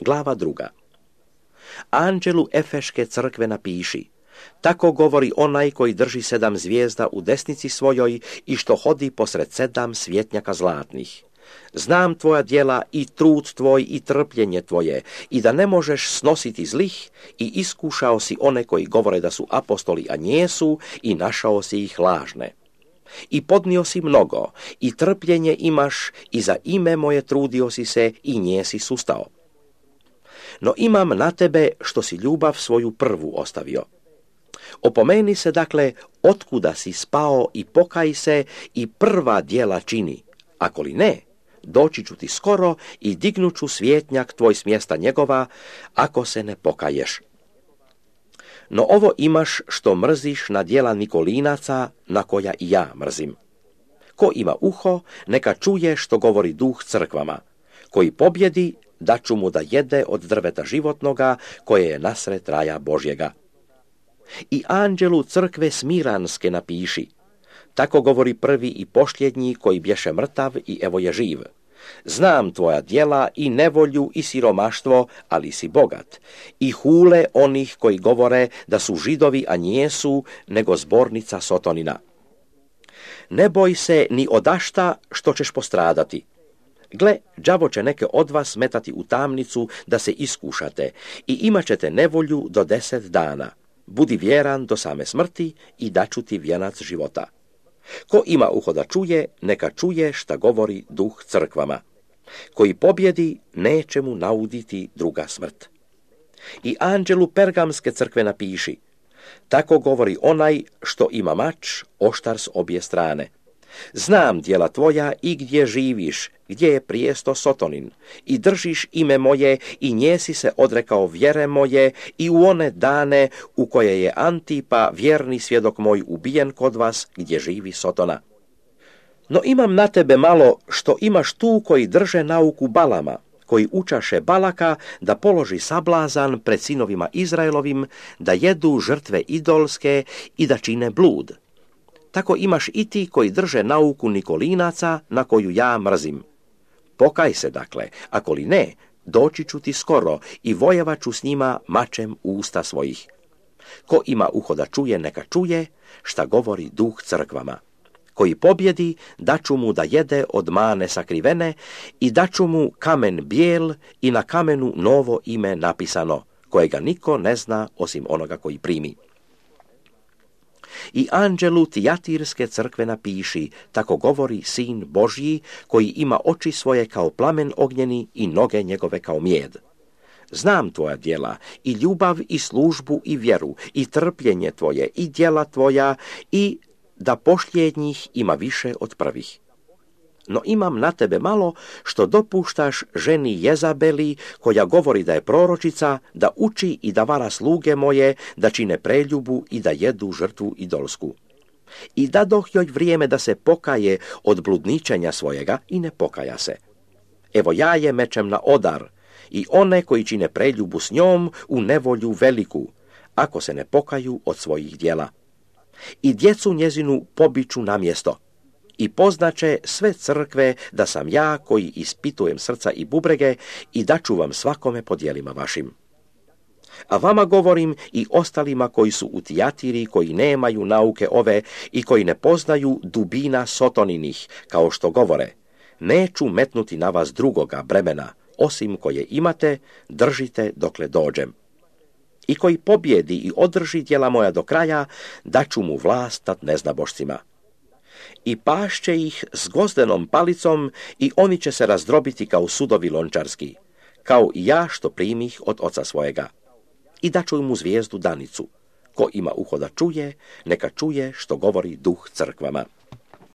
Glava 2. Anđelu Efeške crkve napiši: tako govori onaj koji drži 7 zvijezda u desnici svojoj i što hodi posred 7 svjetnjaka zlatnih. Znam tvoja djela i trud tvoj i trpljenje tvoje, i da ne možeš snositi zlih, i iskušao si one koji govore da su apostoli, a nijesu, i našao si ih lažne. I podnio si mnogo, i trpljenje imaš, i za ime moje trudio si se, i njesi sustao. No imam na tebe što si ljubav svoju prvu ostavio. Opomeni se dakle otkuda si spao i pokaj se i prva djela čini, ako li ne, doći ću ti skoro i dignut ću svjetnjak tvoj s mjesta njegova, ako se ne pokaješ. No ovo imaš što mrziš na djela Nikolinaca, na koja i ja mrzim. Ko ima uho, neka čuje što govori Duh crkvama. Koji pobjedi, daću mu da jede od drveta životnoga, koje je nasred raja Božjega. I anđelu crkve Smiranske napiši: tako govori prvi i posljednji koji bješe mrtav i evo je živ. Znam tvoja djela i nevolju i siromaštvo, ali si bogat. I hule onih koji govore da su Židovi, a nijesu, nego zbornica Sotonina. Ne boj se ni odašta što ćeš postradati. Gle, đavo će neke od vas metati u tamnicu da se iskušate i imat ćete nevolju do 10 dana. Budi vjeran do same smrti i daću ti vijenac života. Ko ima uho da čuje, neka čuje šta govori Duh crkvama. Koji pobjedi, neće mu nauditi druga smrt. I anđelu Pergamske crkve napiši: tako govori onaj što ima mač, oštar s obje strane. Znam djela tvoja i gdje živiš, gdje je prijesto Sotonin, i držiš ime moje i njesi se odrekao vjere moje i u one dane u koje je Antipa, vjerni svjedok moj, ubijen kod vas gdje živi Sotona. No imam na tebe malo što imaš tu koji drže nauku Balama, koji učaše Balaka da položi sablazan pred sinovima Izraelovim, da jedu žrtve idolske i da čine blud. Tako imaš i ti koji drže nauku Nikolinaca, na koju ja mrzim. Pokaj se dakle, ako li ne, doći ću ti skoro i vojevat ću s njima mačem usta svojih. Ko ima uho da čuje, neka čuje šta govori Duh crkvama. Koji pobjedi, daću mu da jede od mane sakrivene i daću mu kamen bijel i na kamenu novo ime napisano, kojega niko ne zna osim onoga koji primi. I anđelu Tijatirske crkve napiši: tako govori Sin Božji, koji ima oči svoje kao plamen ognjeni i noge njegove kao mijed. Znam tvoja djela, i ljubav, i službu, i vjeru, i trpljenje tvoje, i djela tvoja, i da posljednjih ima više od prvih. No imam na tebe malo što dopuštaš ženi Jezabeli, koja govori da je proročica, da uči i da vara sluge moje, da čine preljubu i da jedu žrtvu idolsku. I dadoh joj vrijeme da se pokaje od bludničenja svojega i ne pokaja se. Evo ja je mečem na odar i one koji čine preljubu s njom u nevolju veliku, ako se ne pokaju od svojih djela. I djecu njezinu pobiću na mjesto. I poznaće sve crkve da sam ja koji ispitujem srca i bubrege i daću vam svakome po djelima vašim. A vama govorim i ostalima koji su u Tijatiri, koji nemaju nauke ove i koji ne poznaju dubina Sotoninih, kao što govore: neću metnuti na vas drugoga bremena, osim koje imate, držite dokle dođem. I koji pobjedi i održi djela moja do kraja, daću mu vlast nad neznabošcima. I pašće ih s gvozdenom palicom i oni će se razdrobiti kao sudovi lončarski, kao i ja što primih od oca svojega. I daću mu zvijezdu danicu. Ko ima uho da čuje, neka čuje što govori Duh crkvama.